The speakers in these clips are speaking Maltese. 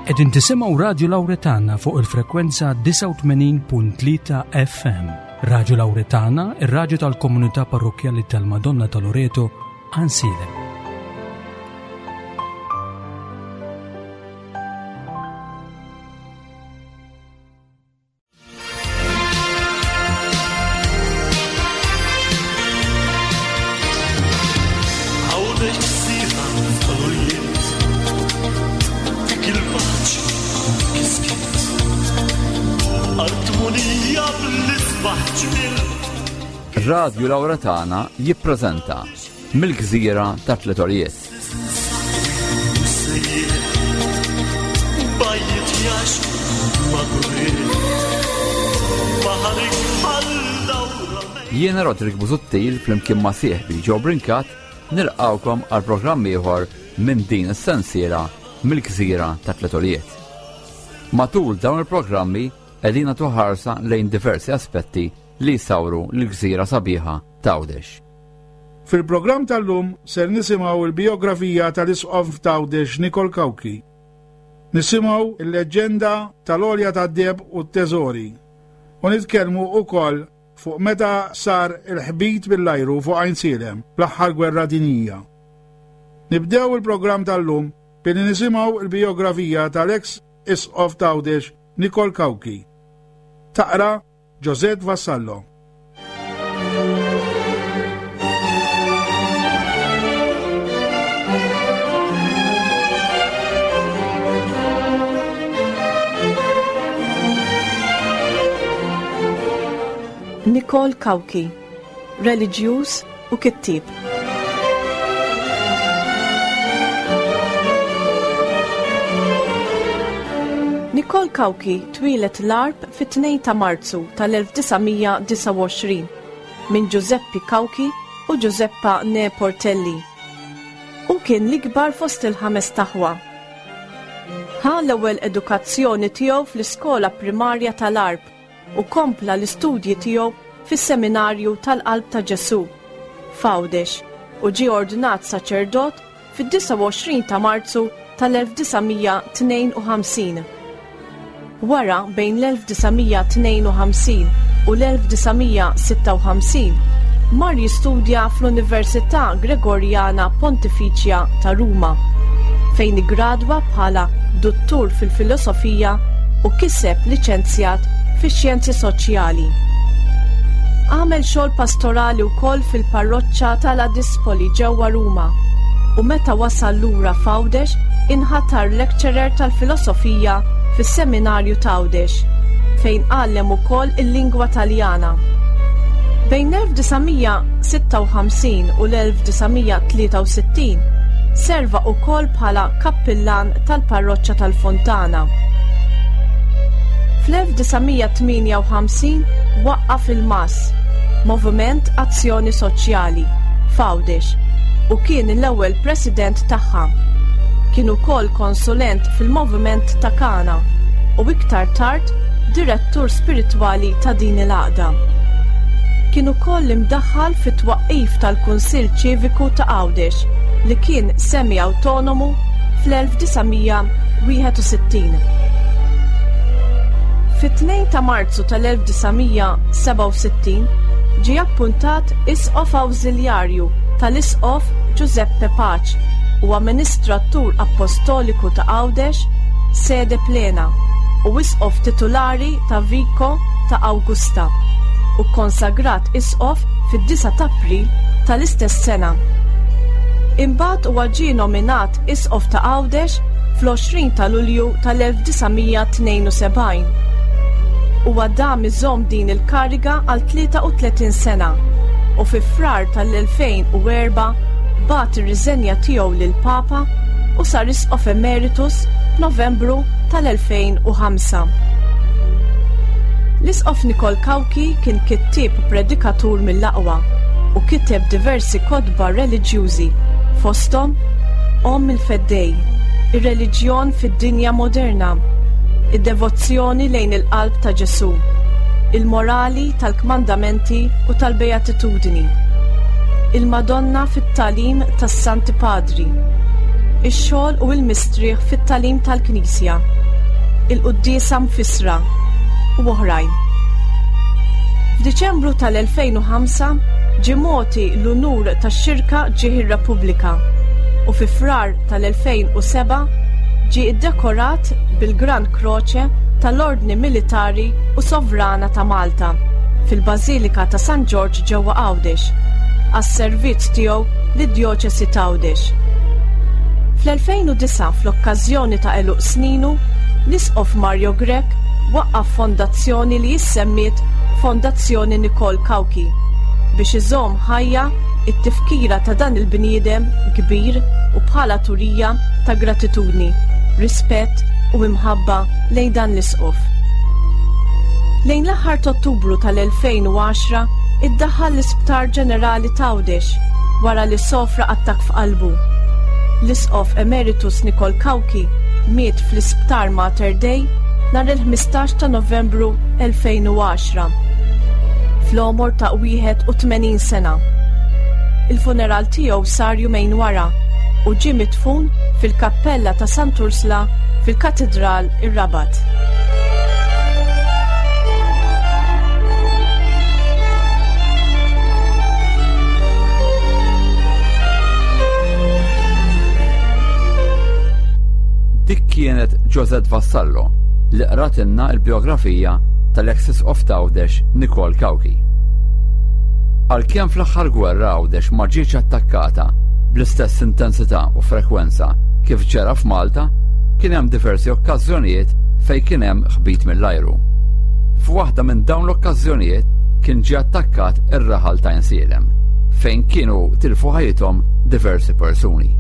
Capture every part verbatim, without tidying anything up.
Qegħdin tisimgħu Radio Lauretana fuq il-frekwenza disgħa u tmenin punt tlieta F M. Radio Lauretana, ir-radju tal-komunità parrokkjali tal-Madonna ta' Loreto, Għajnsielem. Radio Lauretana jippreżenta Mill-Gżira ta' Tliet Għoljiet. Jiena Roderick Busuttil flimkien ma' sieħbi Joe Brincat nilqawkom għal programm ieħor minn din is-sensiela Mill-Gżira ta' Tliet Għoljiet. Matul dawn il-programmi qegħdin nagħtu ħarsa lejn diversi aspetti li jsawru l-gżira sabiħa ta' Għawdex. Fil-programm tal-lum ser nisimgħu il-biografija tal-Isqof ta' Għawdex Nikol Cauchi. Nisimgħu il-leġġenda tal-għolja tad-deheb u t-teżori. U nitkellmu wkoll fuq meta sar il-ħbit bil-ajru fuq Għajnsielem fl-aħħar gwerra dinjija. Nibdew il-programm tal-lum billi nisimgħu il-biografija tal-ex Isqof ta' Għawdex Nikol Cauchi. Taqra Josette Vassallo. Nikol Cauchi, reliġjuż u kittieb. Nikol Cauchi twieled l-Għarb fit-tnejn ta' Marzu tal-elf disa' mija disgħa u għoxrin minn Giuseppe Cauchi u Giuseppa Ne Portelli. U kien l-ikbar fost il-ħames taħwa. Ħa l-ewwel edukazzjoni tiegħu fl-iskola primarja tal-Għarb u kompla l-istudji tiegħu fis-seminarju tal-Qalb ta' Ġesu f'Għawdex u ġie ordnat saċerdot fid-disgħa u għoxrin ta' Marzu tal-elf disa' mija tnejn u ħamsin. Wara bejn l-elf disa' mija tnejn u ħamsin u l-elf disa' mija sitta u ħamsin mar jistudja fl-Università Gregoriana Pontificia ta' Ruma, fejn iggradwa bħala dottur fil-filosofija u kiseb liċenzjat fix-xjenzi soċjali. Għamel xogħol pastorali wkoll fil-parroċċa tal-Adispoli ġewwa Ruma u meta wasal lura f'Għawdex inħatar lecturer tal-filosofija fis-seminarju ta' Għawdex, fejn għallem ukoll il-lingwa Taljana. Bejn elf disa' mija sitta u ħamsin u l-elf disa' mija tlieta u sittin serva wkoll bħala kappillan tal-parroċċa tal-Fontana. Fl-elf disa' mija tmienja u ħamsin waqqaf il-M A S, Moviment Azzjoni Soċjali, f'Għawdex, u kien l-ewwel president tagħha. Kien ukoll konsulent fil-Moviment ta' Kana u iktar tard direttur spiritwali ta' din il-għaqda. Kien ukoll imdaħħal fit-twaqqif tal-Kunsill Ċiviku ta' Għawdex li kien semi-autonomu fl-elf disa' mija wieħed u sittin. Fit-tnejn ta' Marzu tal-elf disa' mija sebgħa u sittin ġie appuntat Isqof Awżiljarju tal-Isqof Giuseppe Pace u Amministratur Apostoliku ta' Għawdex, sede plena, u Isqof titulari ta' Vico ta' Augusta, u konsagrat Isqof fid-disgħa ta' April tal-istess sena. Imbagħad huwa ġie nominat Isqof ta' Għawdex fl-għoxrin ta' Lulju tal-elf disa' mija tnejn u sebgħin. Huwa dam iżomm din il-kariga għal tlieta u tletin sena u fi Frar tal-elfejn u erba' bagħat ir-riżenja tiegħu lill-Papa u sar Isqof Emeritus f'Novembru tal-elfejn u ħamsa. L-Isqof Nikol Cauchi kien kittieb u predikatur mill-aqwa u kiteb diversi kotba reliġjużi fosthom Omm il-Feddej, ir-reliġjon fid-dinja moderna, id-devozzjoni lejn il-qalb ta' Ġesu, il-morali tal-kmandamenti u tal-beatitudni, il-Madonna fit-tagħlim tas-Santi Padri, Ix-xogħol u l-mistrieħ fit-tagħlim tal-Knisja, Il-Quddiesa mfissra u oħrajn. F'Diċembru tal-elfejn u ħamsa ġie mogħti l-unur tax-xirka Ġieħ ir-Repubblika u fi Frar tal-elfejn u seba' ġie iddekorat bil-Gran Croce tal-Ordni Militari u Sovrana ta' Malta fil-Bażilika ta' San Ġorġ ġewwa Għawdex għas-servizz tiegħu lid-Djoċesi t'Għawdex. Fl-elfejn u disa' fl-okkażjoni ta' għeluq sninu, l-Isqof Mario Grech waqqaf fondazzjoni li jissemmiet Fondazzjoni Nikol Cauchi biex iżomm ħajja it-tifkira ta' dan il-bniedem kbir u bħala turija ta' gratitudni, rispett u imħabba lejn dan l-isqof. Lejn l-aħħar ta' Ottubru tal-elfejn u għaxra iddaħħal l-Isptar Ġenerali t'Għawdex wara li sofra attakk f'qalbu. L-Isqof Emeritus Nikol Cauchi miet fl-Isptar Mater Dei nhar il-ħmistax ta' Novembru elfejn u għaxra fl-għomor ta' wieħed u tmenin sena. Il-funeral tiegħu sar jumejn wara u ġie midfun fil-Kappella ta' Sant'Ursla fil-Katedral ir-Rabat. Dik kienet Josette Vassallo li qratilna l-biografija tal-ex Isqof t'Għawdex Nikol Cauchi. Għalkemm fl-aħħar gwerra Għawdex ma ġietx attakkata bl-istess intensità u frekwenza kif ġara f'Malta, kien hemm diversi okkażjonijiet fejn kien hemm ħbit mill-ajru. F'waħda minn dawn l-okkażjonijiet kien ġie attakkat ir-raħal ta' Għajnsielem, fejn kienu tilfu ħajjithom diversi persuni.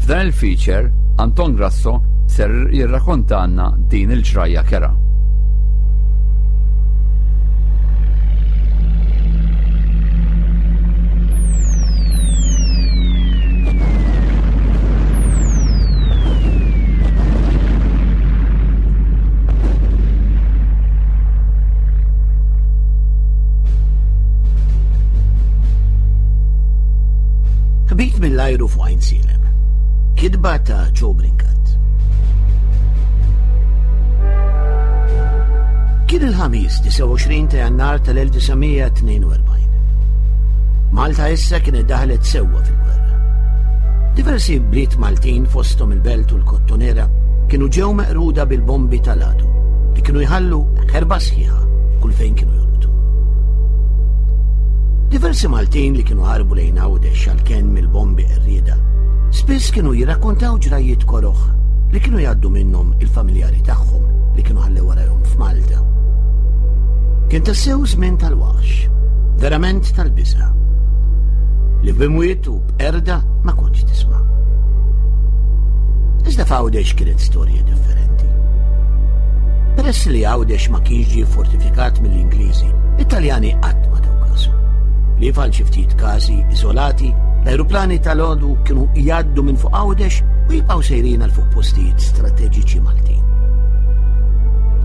F'dan il-feature, Anton Grasso ser jirrakkontanna din il-ġrajja kera. Ħbit mill-ajru fuq Għajnsielem. Kitba ta' Joe Brincat. Kien il-ħamis disgħa u għoxrin ta' Jannar tal-elf disa' mija tnejn u erbgħin. Malta issa kienet daħlet sewwa fil-gwerra. Diversi bliet Maltin fosthom il-Belt u l-Kottonera kienu ġew meqruda bil-bombi tal-għadu li kienu jħallu ħerba sħiħa kull fejn kienu jolqtu. Diversi Maltin li kienu ħarbu lejn Għawdex għall-kenn mill-bombi qerrieda spiss kienu jirrakkontaw ġrajiet koroħ li kienu jgħaddu minnhom il-familjari tagħhom li kienu ħallew warahom f'Malta. Kien tassew żmien tal-waħx, verament tal-biża', li b'imwiet u b'qerda ma kontx tisma'. Iżda f'Għawdex kienet storja differenti. Peress li Għawdex ma kienx ġie fortifikat mill-Ingliżi, it-Taljani qatt ma taw kasu. Li f'għal xi ftit każi iżolati, l-ajruplani tal-għodu kienu jgħaddu minn fuq Għawdex u jibqgħu sejrin għal fuq postijiet strateġiċi Maltin.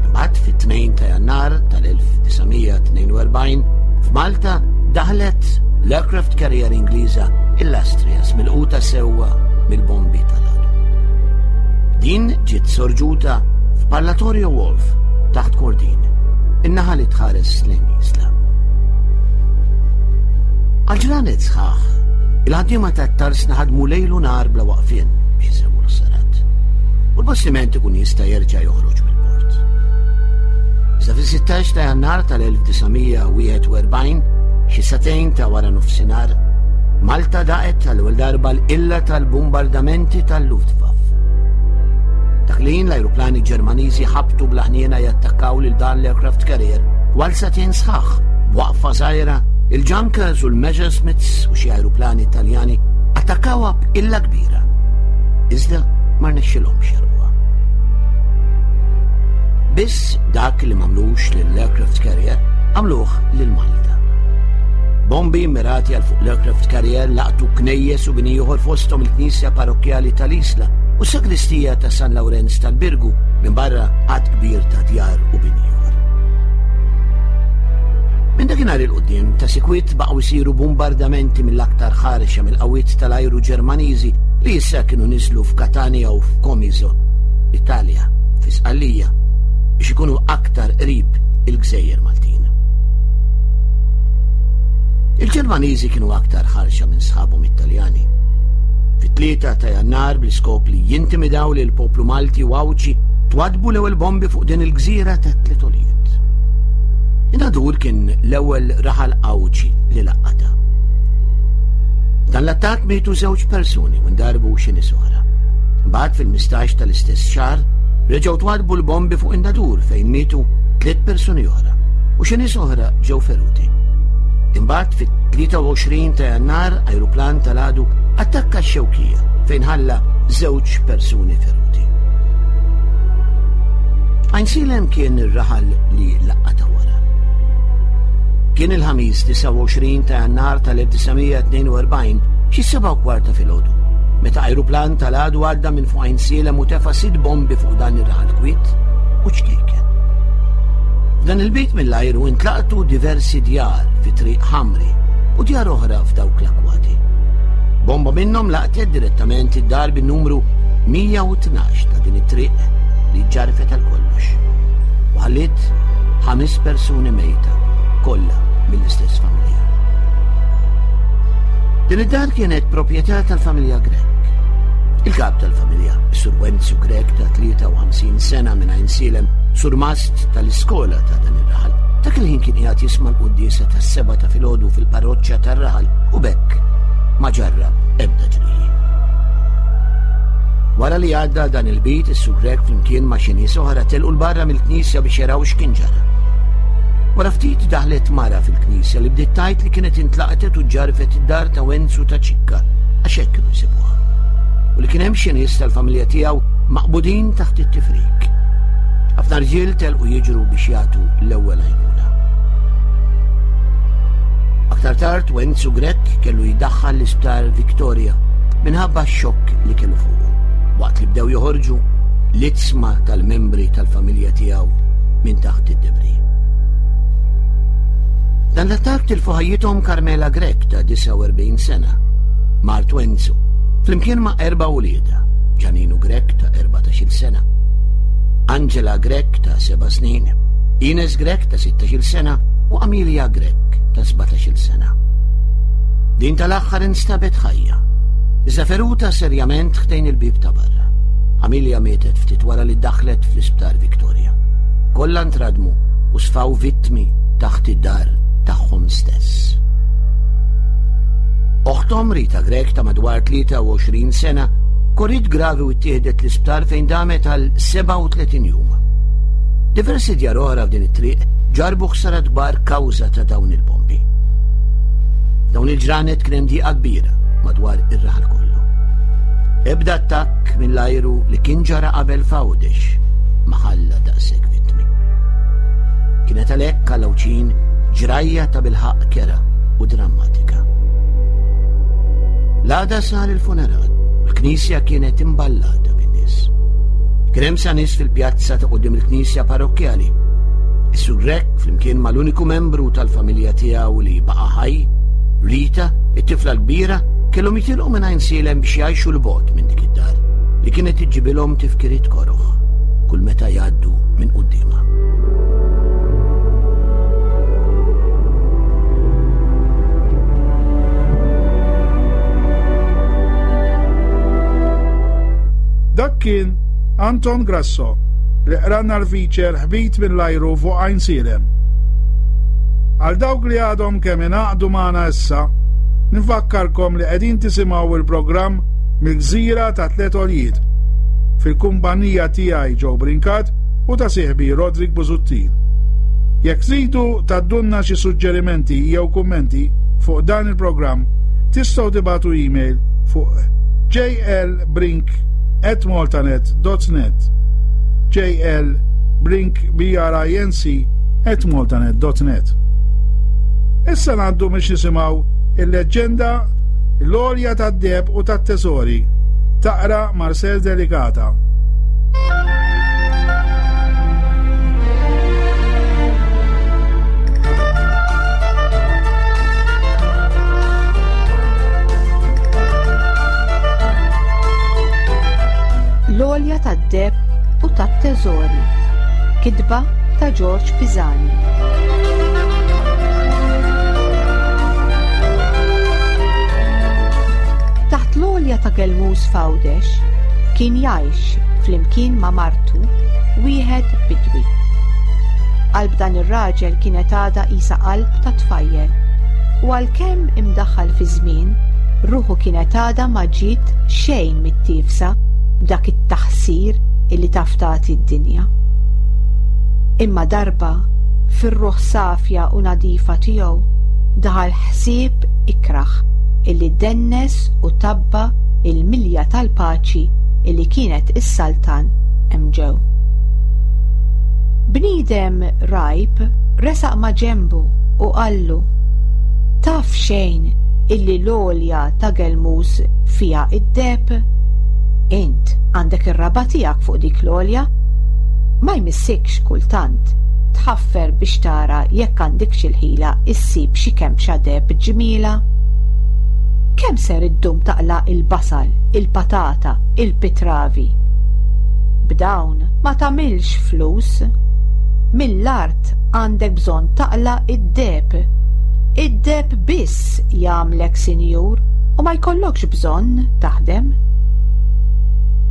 Imbagħad fit-tnejn ta' Jannar tal-elf disa' mija tnejn u erbgħin f'Malta daħlet l-aircraft carrier Ingliża l-Astrias milquta sewwa mill-bombi tal-għadu. Din ġiet sorġuta f'Parlatorio Wolf taħt Kordin, in-naħa li tħares lejn l-isla. Għal ġranet sħaħ, il-ħaddiema tat-tarsna ħadmu lejl u nhar bla waqfien biex isewwu l-ħsarat. U l-bastiment ikun jista' jerġa' joħroġ mill-port. Iżda fis-sittax ta' Jannar tal-elf disa' mija wieħed u erbgħin, xi sagħtejn ta' wara nofsinhar, Malta daqet tal-ewwel darba l-qilla tal-bombardamenti tal-Luftwaffe. Dak li jien l-ajruplani Ġermaniżi ħabtu bla ħniena jattakkaw lil dan l-aircraft carrier għal sagħtejn sħaħ, b'waqfa żgħira, il-Junkers u l-Messerschmitts u xi ajruplani Taljani attakkawha b'qilla kbira. Iżda ma rnexxilhomx jarquha. Biss dak li m'għamlux lill-aircraft carrier għamluh lil Malta. Bombi mirati għal fuq l-aircraft carrier laqtu knejjes u bini ieħor fosthom il-Knisja Parrokkjali tal-Isla u s-Sagristija ta' San Lawrenz tal-Birgu minn barra għadd kbir ta' djar u bini ieħor. Minn dakinhar 'il quddiem ta' sikwit baqgħu jsiru bombardamenti mill-aktar ħarxa mill-qawwiet tal-ajru Ġermaniżi li issa kienu niżlu f'Katania u f'Comiso, Italja, fi Sqallija, biex ikunu aktar qrib il-Gżejjer Maltin. Il-Ġermaniżi kienu aktar ħarxa minn sħabhom Italjani. Fit-tlieta ta' Jannar, bl-iskop li jintimidaw lil poplu Malti u Għawdxi, twadbu l-ewwel bombi fuq din il-gżira ta' tliet għoljiet. In-Nadur kien l-ewwel raħal Għawdxi li laqata. Dan l-attakk mietu żewġ persuni u ndarbu xi nies oħra. Imbagħad fil-ħmistax tal-istess xahar reġgħu twadbu l-bombi fuq in-Nadur fejn mietu tliet persuni oħra u xi nies oħra ġew feruti. Imbagħad fit-tlieta u għoxrin ta' Jannar ajruplan tal-għadu attakka x-Xewkija fejn ħalla żewġ persuni feruti. Għajnsielem kien ir-raħal li laqata wara. Kien il-Ħamis disgħa u għoxrin ta' Jannar tal-elf disa' mija tnejn u erbgħin, xi seba' u kwarta filgħodu, meta ajruplan tal-għadu għadda minn fuq Għajnsielem u tefa' sitt bombi fuq dan ir-raħal kwiet u ċkejken. F'dan il-bejt mill-ajru intlaqtu diversi djar fi Triq Ħamri u djar oħra f'dawk l-akwati. Bomba minnhom laqtet direttament id-dar bin-numru mija u tnax ta' din it-triq li ġarfet għal kollox. U ħalliet ħames persuni mejta, kollha mill-istess familja. Din id-dar kienet proprjetà tal-familja Grech. Il-kap tal-familja, Sur Wenzu Grech ta' tlieta u ħamsin sena minn Għajnsielem, surmast tal-iskola ta' dan ir-raħal, dak il-ħin kien qiegħed jisma' l-quddiesa tas-sebgħa ta' filgħodu fil-parroċċa tar-raħal u b'hekk ma ġarrab ebda ġrieħi. Wara li għadda dan il-bit, is-Sur Grech flimkien ma' xi nies oħra telqu 'l barra mill-knisja biex jaraw x'kien ġara. Wara ftit daħlet mara fil-knisja li bdiet tgħid li kienet intlaqtet u ġarfet id-dar ta' Wenzu ta' Ċikka, għax hekk kienu jsibuha. U li kien hemm xi nies tal-familja tiegħu maqbudin taħt it-tifrik. Ħafna rġiel telqu jiġru biex jagħtu l-ewwel għajnuna. Aktar tard Wenzu Grech kellu jiddaħħal l-isptar Victoria minħabba x-xokk li kellu fuqu, waqt li bdew joħorġu l-iġsma tal-membri tal-familja tiegħu minn taħt id-debris. Dan l-attakk tilfu ħajjithom Carmela Grech ta' disgħa u erbgħin sena, mart Wenzu, flimkien ma' erba' uliedha, Ġaninu Grech ta' erbatax-il sena, Angela Grech ta' seba' snin, Ines Grech ta' sittax-il sena u Amelia Grech ta' sbatax-il sena. Din tal-aħħar instabet ħajja, iżda feruta serjament ħdejn il-bib ta' barra. Amelia mietet ftit wara li daħlet fl-isptar Victoria. Kollha ntradmu u sfaw vittmi taħt id-dar tagħhom stess. Oħtom Rita Grech ta' madwar tlieta u għoxrin sena korriet gravi u ttieħdet l-isptar fejn damet għal sebgħa u tletin jum. Diversi djar oħra f'din it-triq ġarbu ħsarat kbar kawża ta' dawn il-bombi. Dawn il-ġranet kien hemm diqa kbira madwar ir-raħal kollu. Ebda attakk mill-ajru li kien ġara qabel f'Għawdex ma ħalla daqshekk vittmi. Kienet għalhekk għal ġrajja ta' bilħaqq kerha u drammatika. L-għada sar il-funeral, l-knisja kienet imballata bin-nies. Kien hemm sa nies fil-pjazza ta' quddiem il-knisja parrokkjali. Is-Sur Grech, flimkien mal-uniku membru tal-familja tiegħu li baqa' ħaj, Rita, it-tifla l-kbira, kellhom jitilqu minn Għajnsielem biex jgħixu 'l bogħod minn dik id-dar li kienet iġġibilhom tifkiriet koroħ kull meta jgħaddu minn quddiemha. Dak kien Anton Grasso li qralna l-feature "Ħbit mill-ajru fuq Għajnsielem". Għal dawk li għadhom kemm ingħaqdu magħna issa, nifakkarkom li qegħdin tisimgħu il-programm "Mill-Gżira ta' Tliet Għoljiet" fil-kumpanija tiegħi Joe Brincat u ta' sieħbi Rodrik Busuttil. Jekk tridu tgħaddulna xi suġġerimenti jew kummenti fuq dan il-programm, tistgħu tibagħtu email fuq jlbrink at maltanet dot net, jlbrink B R I N C at maltanet dot net. Issa ngħaddu biex nisimgħu il-leġġenda "L-Għolja tad-Deheb u tat-Teżori", taqra Marcel Delicata. L-Għolja tad-Deheb u tat-Teżori. Kitba ta' George Pisani. Taħt l-għolja ta' Gelmus f'Għawdex kien jgħix flimkien ma' martu wieħed bidwi. Qalb dan ir-raġel kienet għadha qisha qalb ta' tfajjel u għalkemm imdaħħal fi żmien, ruħu kienet għadha ma ġiet xejn mit-tifsa b'dak it-taħsir illi taf tagħti d-dinja. Imma darba fir-ruħ safja u nadifa tiegħu daħal ħsieb ikrah illi dennes u tabba il-milja tal-paċi illi kienet is-saltan hemm ġew. Bniedem rajb resaq ma' ġembu u qallu: Taf xejn illi l-għolja ta' Gelmus fiha id-deheb? Int għandek ir-raba' tiegħek fuq dik l-għolja? Ma jmissikx kultant tħaffer biex tara jekk għandekx il-ħila issib xi kemxa deheb ġmiela? Kemm ser iddum taqla' il-basal, il-patata, il-pitravi? B'dawn ma tagħmilx flus. Mill-art għandek bżonn taqla' id-deheb. Id-deheb biss jagħmlek sinjur u ma jkollokx bżonn taħdem.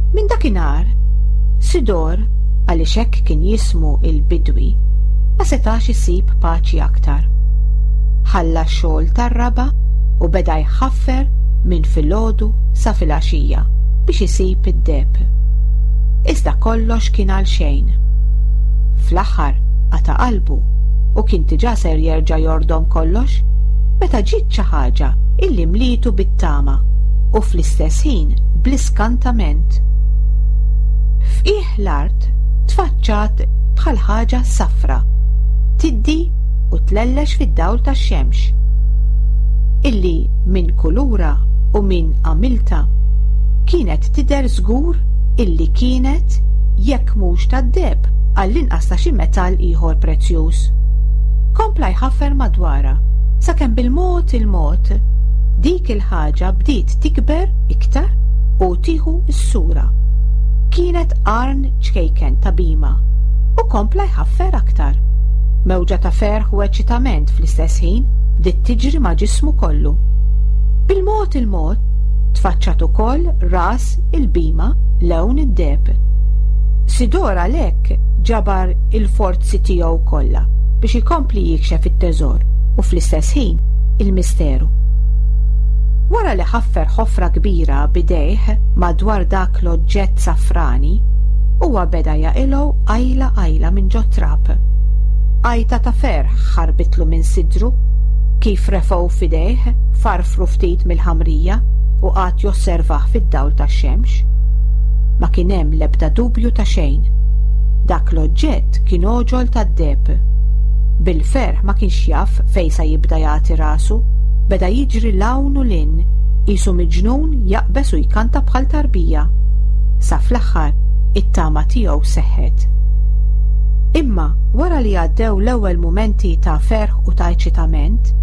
Minn dakinhar, Sidor, għaliex hekk kien jismu il-bidwi, ma setax isib paċi aktar. Ħalla x-xogħol tar-raba' u beda jħaffer minn filgħodu sa filgħaxija biex isib id-deheb. Iżda kollox kien għal xejn. Fl-aħħar qata' qalbu u kien diġà ser jerġa' jordom kollox meta ġiet xi ħaġa illi mlietu bit-tama u fl-istess ħin bl-iskantament. F'qiegħ l-art tfaċċat bħal ħaġa safra, tiddi u tlellex fid-dawl tax-xemx, illi minn kulura u minn għamilta kienet tidher żgur illi kienet jekk mhux tad-deheb għall-inqas ta' xi metall ieħor prezzjuż. Kompla jħaffer madwarha sakemm bil-mod il-mod dik il-ħaġa bdiet tikber iktar u tieħu s-sura. Kienet qarn ċkejken ta' bima u kompla jħaffer aktar. Mewġa ta' ferħ u eċitament fl-istess ħin bdiet tiġri ma' ġismu kollu. Bil-mod il-mod tfaċċat ukoll ras il-bima lewn id-deheb. Sidor għalhekk ġabar il-forzi tiegħu kollha biex ikompli jikxef it-teżor u fl-istess ħin il-misteru. Wara li ħaffer ħofra kbira bidejh madwar dak l-oġġett safrani, huwa beda jaqilgħu qajla qajla minn ġo trab. Għajta ta' ferħ ħarbitlu minn sidru kif refgħu f'idejh, farfru ftit mill-ħamrija u qagħad josservah fid-dawl tax-xemx. Ma kien hemm l-ebda dubju ta' xejn. Dak l-oġġett kien għoġol tad-deheb. Bil-ferħ ma kienx jaf fejn sa jibda jagħti rasu, beda jiġri l-hawn u l-in, qisu miġnun jaqbeż u jkanta bħal tarbija. Sa fl-aħħar it-tama tiegħu seħħet. Imma wara li għaddew l-ewwel mumenti ta' ferħ u ta' eċitament,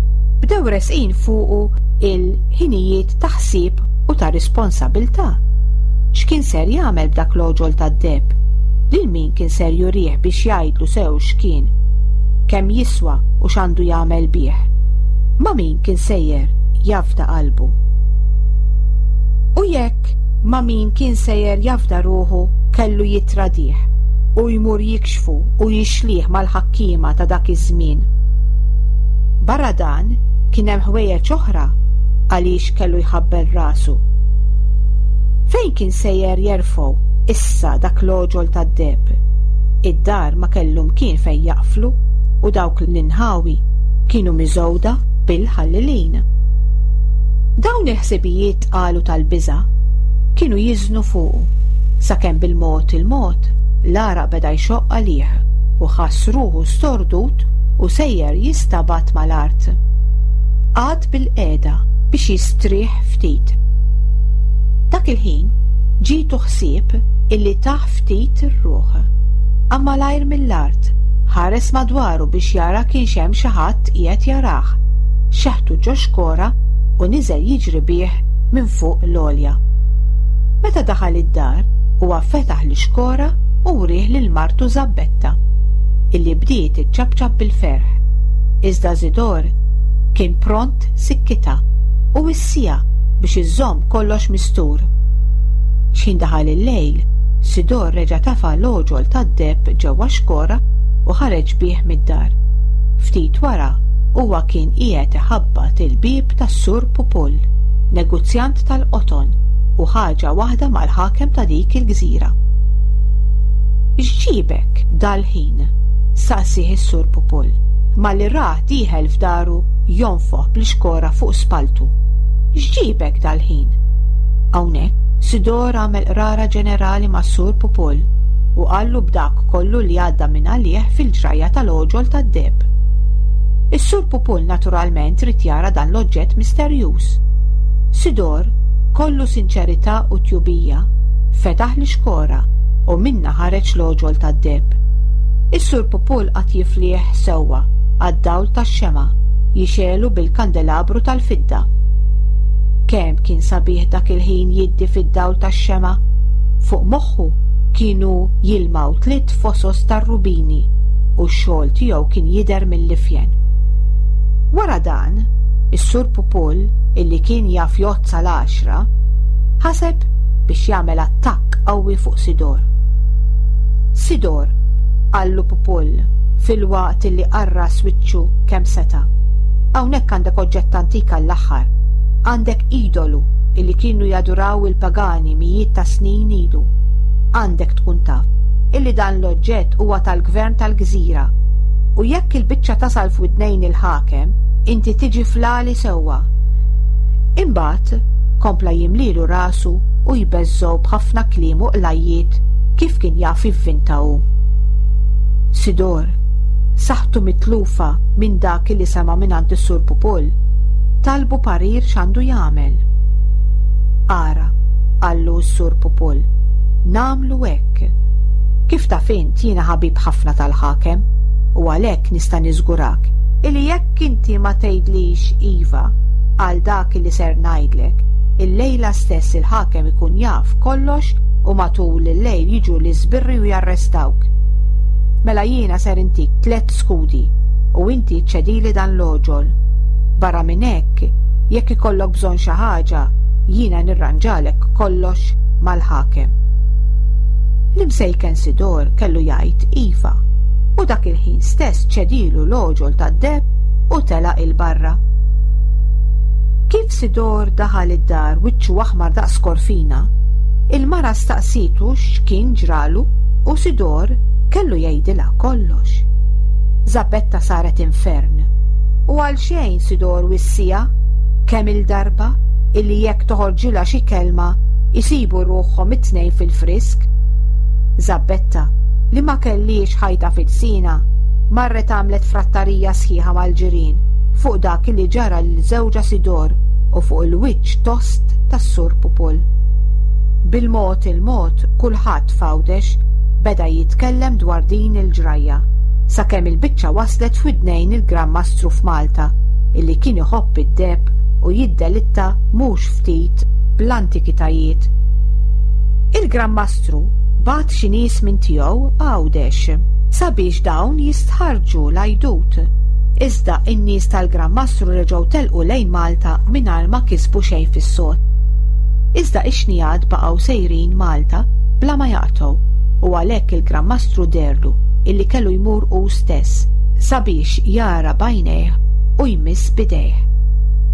bdew resqin fuqu il-ħinijiet ta' ħsieb u ta' responsabiltà. X'kien ser jagħmel b'dak l-għoġol tad-deheb? Lil min kien ser jurih biex jgħidlu sew x'kien? Kemm jiswa u x'għandu jagħmel bih? Ma' min kien sejjer jafda qalbu? U jekk ma' min kien sejjer jafda ruħu kellu jitradih u jmur jikxfu u jixlih mal-ħakkiema ta' dak iż-żmien. Barra dan kien hemm ħwejjeġ oħra għaliex kellu jħabbel rasu. Fejn kien sejjer jerfgħu issa dak l-għoġol tad-deheb? Id-dar ma kellu mkien fejn jaqflu u dawk l-inħawi kienu miżgħuda bil-ħallelin. Dawn il-ħsibijiet qalu tal-biża' kienu jiżnu fuqu sakemm bil-mod il-mod l-għaraq beda jxoqq għalih u ħass ruħu stordut u sejjer jistabat mal-art. Qagħad bil-qiegħda biex jistrieħ ftit. Dak il-ħin ġietu ħsieb illi taħ ftit ir-ruħ. Qam malajr mill-art, ħares madwaru biex jara kienx hemm xi ħadd qiegħed jarah. Xeħtu ġo xkora u niżel jiġri bih minn fuq l-għolja. Meta daħal id-dar Huwa fetaħ l-ixkora u wrieh lil martu Żabbetta, illi bdiet iċċapċap bil-ferħ. Iżda Sidor kien pront sikkitha u wissiha biex iżżomm kollox mistur. X'ħin daħal il-lejl, Sidor reġa' tafa' l-għoġol tad-deheb ġewwa xkora u ħareġ bih mid-dar. Ftit wara huwa kien qiegħed iħabbat il-bieb tas-Sur Pupull, negozjant tal-qoton u ħaġa waħda mal-ħakem ta' dik il-gżira. X'ġiebek dal-ħin? Saqsieh is-Sur Pupull, malli rah dieħel f'daru jonfoħ bl-ixkora fuq spaltu. X'ġiebek dal-ħin? Hawnhekk Sidor għamel qrara ġenerali mas-Sur Pupull u qallu b'dak kollu li għadda minn għalih fil-ġrajja tal-għoġol tad-deheb. Is-Sur Pupull naturalment ried jara dan l-oġġett misterjuż. Sidor, kollu sinċerità u tjubija, fetaħ l-ixkora u minnha ħareġ l-għoġol tad-deheb. Is-Sur Pupull qagħad jiflih sewwa għad-dawl tax-xemgħa jixegħlu bil-kandelabru tal-fidda. Kemm kien sabiħ dak il-ħin jiddi fid-dawl tax-xemgħa. Fuq moħħu kienu jilmaw tliet fosos tar-rubini u x-xogħol tiegħu kien jidher mill-ifjen. Wara dan, is-Sur Pupull, illi kien jaf jgħodd sal-għaxra, ħaseb biex jagħmel attakk qawwi fuq Sidor. Sidor, qallu Pupull filwaqt illi qarras wiċċu kemm seta'. Hawnhekk għandek oġġett antik għall-aħħar. Għandek idolu illi kienu jaduraw il-pagani mijiet ta' snin ilu. Għandek tkun taf illi dan l-oġġett huwa tal-gvern tal-gżira u jekk il-biċċa tasal f'widnejn il-ħakem, inti tiġi fl-għali sewwa. Imbagħad kompla jimlilu rasu u jbeżżgħu b'ħafna kliem u qlajjiet kif kien jaf jivvinta hu. Sidor, saħħtu mitlufa minn dak li sema' mingħand is-Sur Pupull, talbu parir x'għandu jagħmel. Ara, qallu s-Sur Pupull, nagħmlu hekk. Kif taf int jiena ħabib ħafna tal-ħakem u għalhekk nista' niżgurak illi jekk inti ma tgħidlix iva għal dak li ser ngħidlek, il-lejla stess il-ħakem ikun jaf kollox u matul il-lejl jiġu l-iżbirri u jarrestawk. Mela jiena ser intik tliet skudi u inti ċċedili dan l-għoġol. Barra minn hekk, jekk ikollok bżonn xi ħaġa, jiena nirranġalek kollox mal-ħakem. L-imsejken Sidor kellu jgħid iva u dak il-ħin stess ċedilu l-għoġol tad-deheb u telaq 'il barra. Kif Sidor daħal id-dar wiċċu aħmar daqs korfina, il-mara staqsitu x'kien ġralu u Sidor kellu jgħidilha kollox. Żabbetta saret infern u għal xejn Sidor wissiha kemm il-darba illi jekk toħorġilha xi kelma jsibu ruħhom it-tnejn fil-frisk. Żabbetta, li ma kellhiex ħajta fil-sina, marret għamlet frattarija sħiħa mal-ġirien fuq dak li ġara lil żewġha Sidor u fuq il-wiċċ tost tas-Sur Pupull. Bil-mod il-mod kulħadd f'Għawdex beda jitkellem dwar din il-ġrajja, sakemm il-biċċa waslet f'widnejn il-Gran Mastru f'Malta, illi kien iħobb id-deheb u jiddelitta mhux ftit bl-antikitajiet. Il-Gran Mastru bagħat xi nies minn tiegħu Għawdex sabiex dawn jistħarrġu l-għajdut. Iżda in-nies tal-Gran Mastru reġgħu telqu lejn Malta mingħajr ma kisbu xejn fis-sod. Iżda ix-xnigħat baqgħu sejrin Malta bla ma jaqtgħu u għalhekk il-Gran Mastru deherlu illi kellu jmur hu stess sabiex jara b'għajnejh u jmiss b'idejh.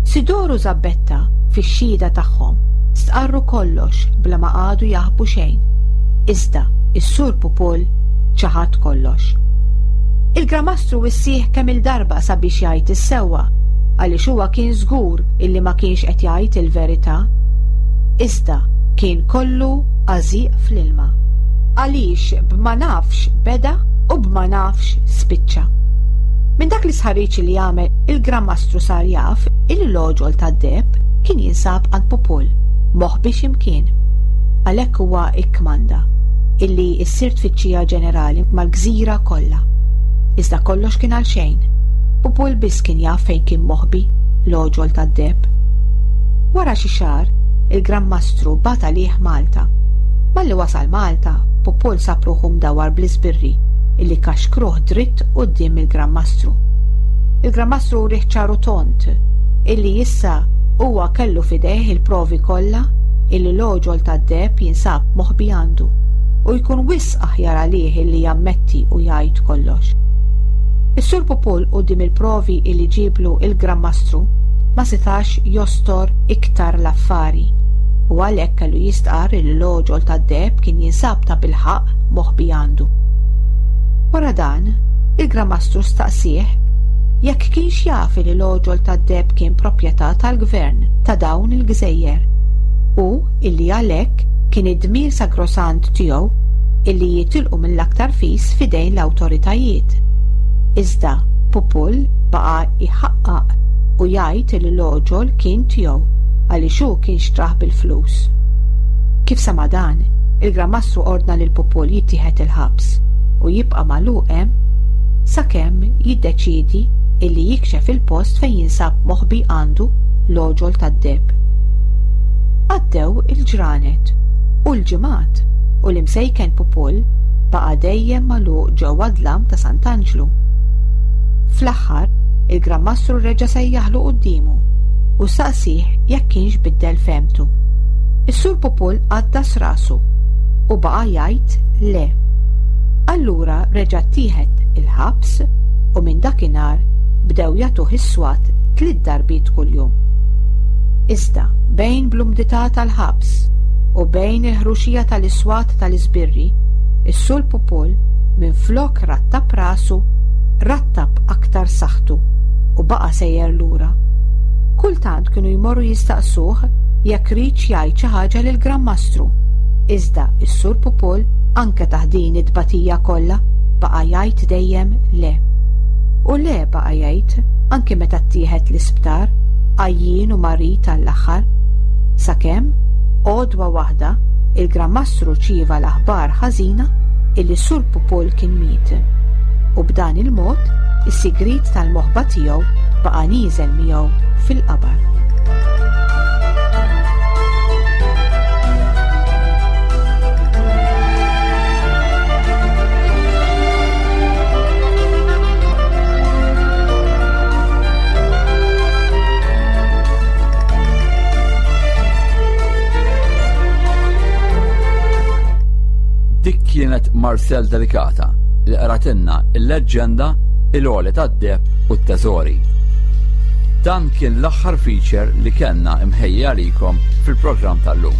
Sidor u Żabbetta fix-xhieda tagħhom stqarru kollox bla ma qagħdu jaħbu xejn. Iżda is-Sur Pupull ċaħad kollox. Il-Gran Mastru wissih kemm il-darba sabiex jgħid is-sewwa għaliex huwa kien żgur illi ma kienx qed jgħid il-verità. Iżda kien kollu għażiq fl-ilma. Għaliex b'ma nafx beda u b'ma nafx spiċċa. Minn dak l-istħarriġ li għamel il-Gran Mastru sar jaf illi l-għoġol tad-deheb kien jinsab għand Pupull, moħbi x'imkien. Għalhekk huwa ikkmanda illi ssir tfittxija ġenerali mal-gżira kollha. Iżda kollox kien għal xejn. Pupull biss kien jaf fejn kien moħbi l-għoġol tad-deheb. Wara xi xahar, il-Gran Mastru bagħat għalih Malta Malli wasal Malta, Pupul sab ruħu mdawwar bl-iżbirri illi kaxkruh dritt quddiem il-Gran Mastru. Il-Gran Mastru wrieh ċar u tond illi issa huwa kellu f'idejh il-provi kollha illi l-għoġol tad-deheb jinsab moħbi għandu u jkun wisq aħjar għalih illi jammetti u jgħid kollox. Is-Sur Pupul quddiem il-provi illi ġieblu il-Gran Mastru ma setax jostor iktar l-affari u għalhekk kellu jistqarr li l-għoġol tad-deheb kien jinsab tabilħaqq moħbi għandu. Wara dan, il-Gran Mastru staqsieh jekk kienx jaf li l-għoġol tad-deheb kien proprjetà tal-gvern ta' dawn il-gżejjer u illi għalhekk kien id-dmir sagrosant tiegħu illi jitilqu mill-aktar fis fidejn l-awtoritajiet. Iżda Pupul baqa' jħaqqaq u jgħid li l-għoġol kien tiegħu għaliex hu kien xtrah bil-flus. Kif sama dan, il-Gran Mastru ordna lil Pupul jittieħed il-ħabs u jibqa' magħluq hemm sakemm jiddeċiedi illi jikxef il-post fejn jinsab moħbi għandu l-għoġol tad-deheb. Għaddew il-ġranet u l-ġimgħat u l-imsejken Pupul baqa' dejjem magħluq ġewwa dlam ta' Sant'Anġlu. Fl-aħħar, il-Gran Mastru reġa' sejjaħlu quddiemu u saqsieh jekk kienx biddel fehmtu. Is-Sur Pupul għaddas rasu u baqa' jgħid le. Allura reġa' ttieħed il-ħabs u minn dakinhar bdew jagħtuh is-swat tliet darbiet kuljum. Iżda bejn bl-umdità tal-ħabs u bejn il-ħruxija tal-iswat tal-iżbirri, is-Sur Pupul minflok rattab rasu, rattab aktar saħħtu u baqa' sejjer lura. Kultant kienu jmorru jistaqsuh jekk riedx jgħid xi ħaġa lill-Gran Mastru. Iżda is-Sur Pupul anke taħt din it-tbatija kollha baqa' jgħid dejjem le. U le baqa' jgħid anke meta ttieħed l-isptar, għajjien u marid għall-aħħar. Sakemm għodwa waħda il-Gran Mastru rċieva l-aħbar ħażina illi Sur Pupul kien miet. U b'dan il-mod is-sigriet tal-moħba tiegħu baqa' nieżel miegħu fil-qabar. Dik kienet Marcel Delicata li qratilna il-leġġenda il-għoli tad-deheb u t-teżori. Dan kien l-aħħar feature li kellna imħejja għalikom fil-programm tal-lum.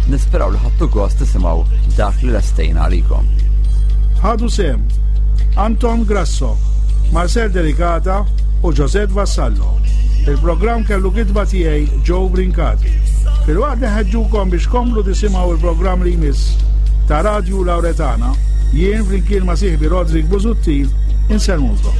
Nisperaw li ħadtu gost tisimgħu dak li lestejna għalikom. Ħadu sehem Anton Grasso, Marcel Delicata u Josette Vassallo. Il-programm kellu kitba tiegħi Joe Brincat. Filwaqt li ħeġġukom biex komplu tisimgħu il-programm li jmiss ta' Radju Lauretana, jien flimkien ma' sieħbi Rodrik Busuttil insellmulkom.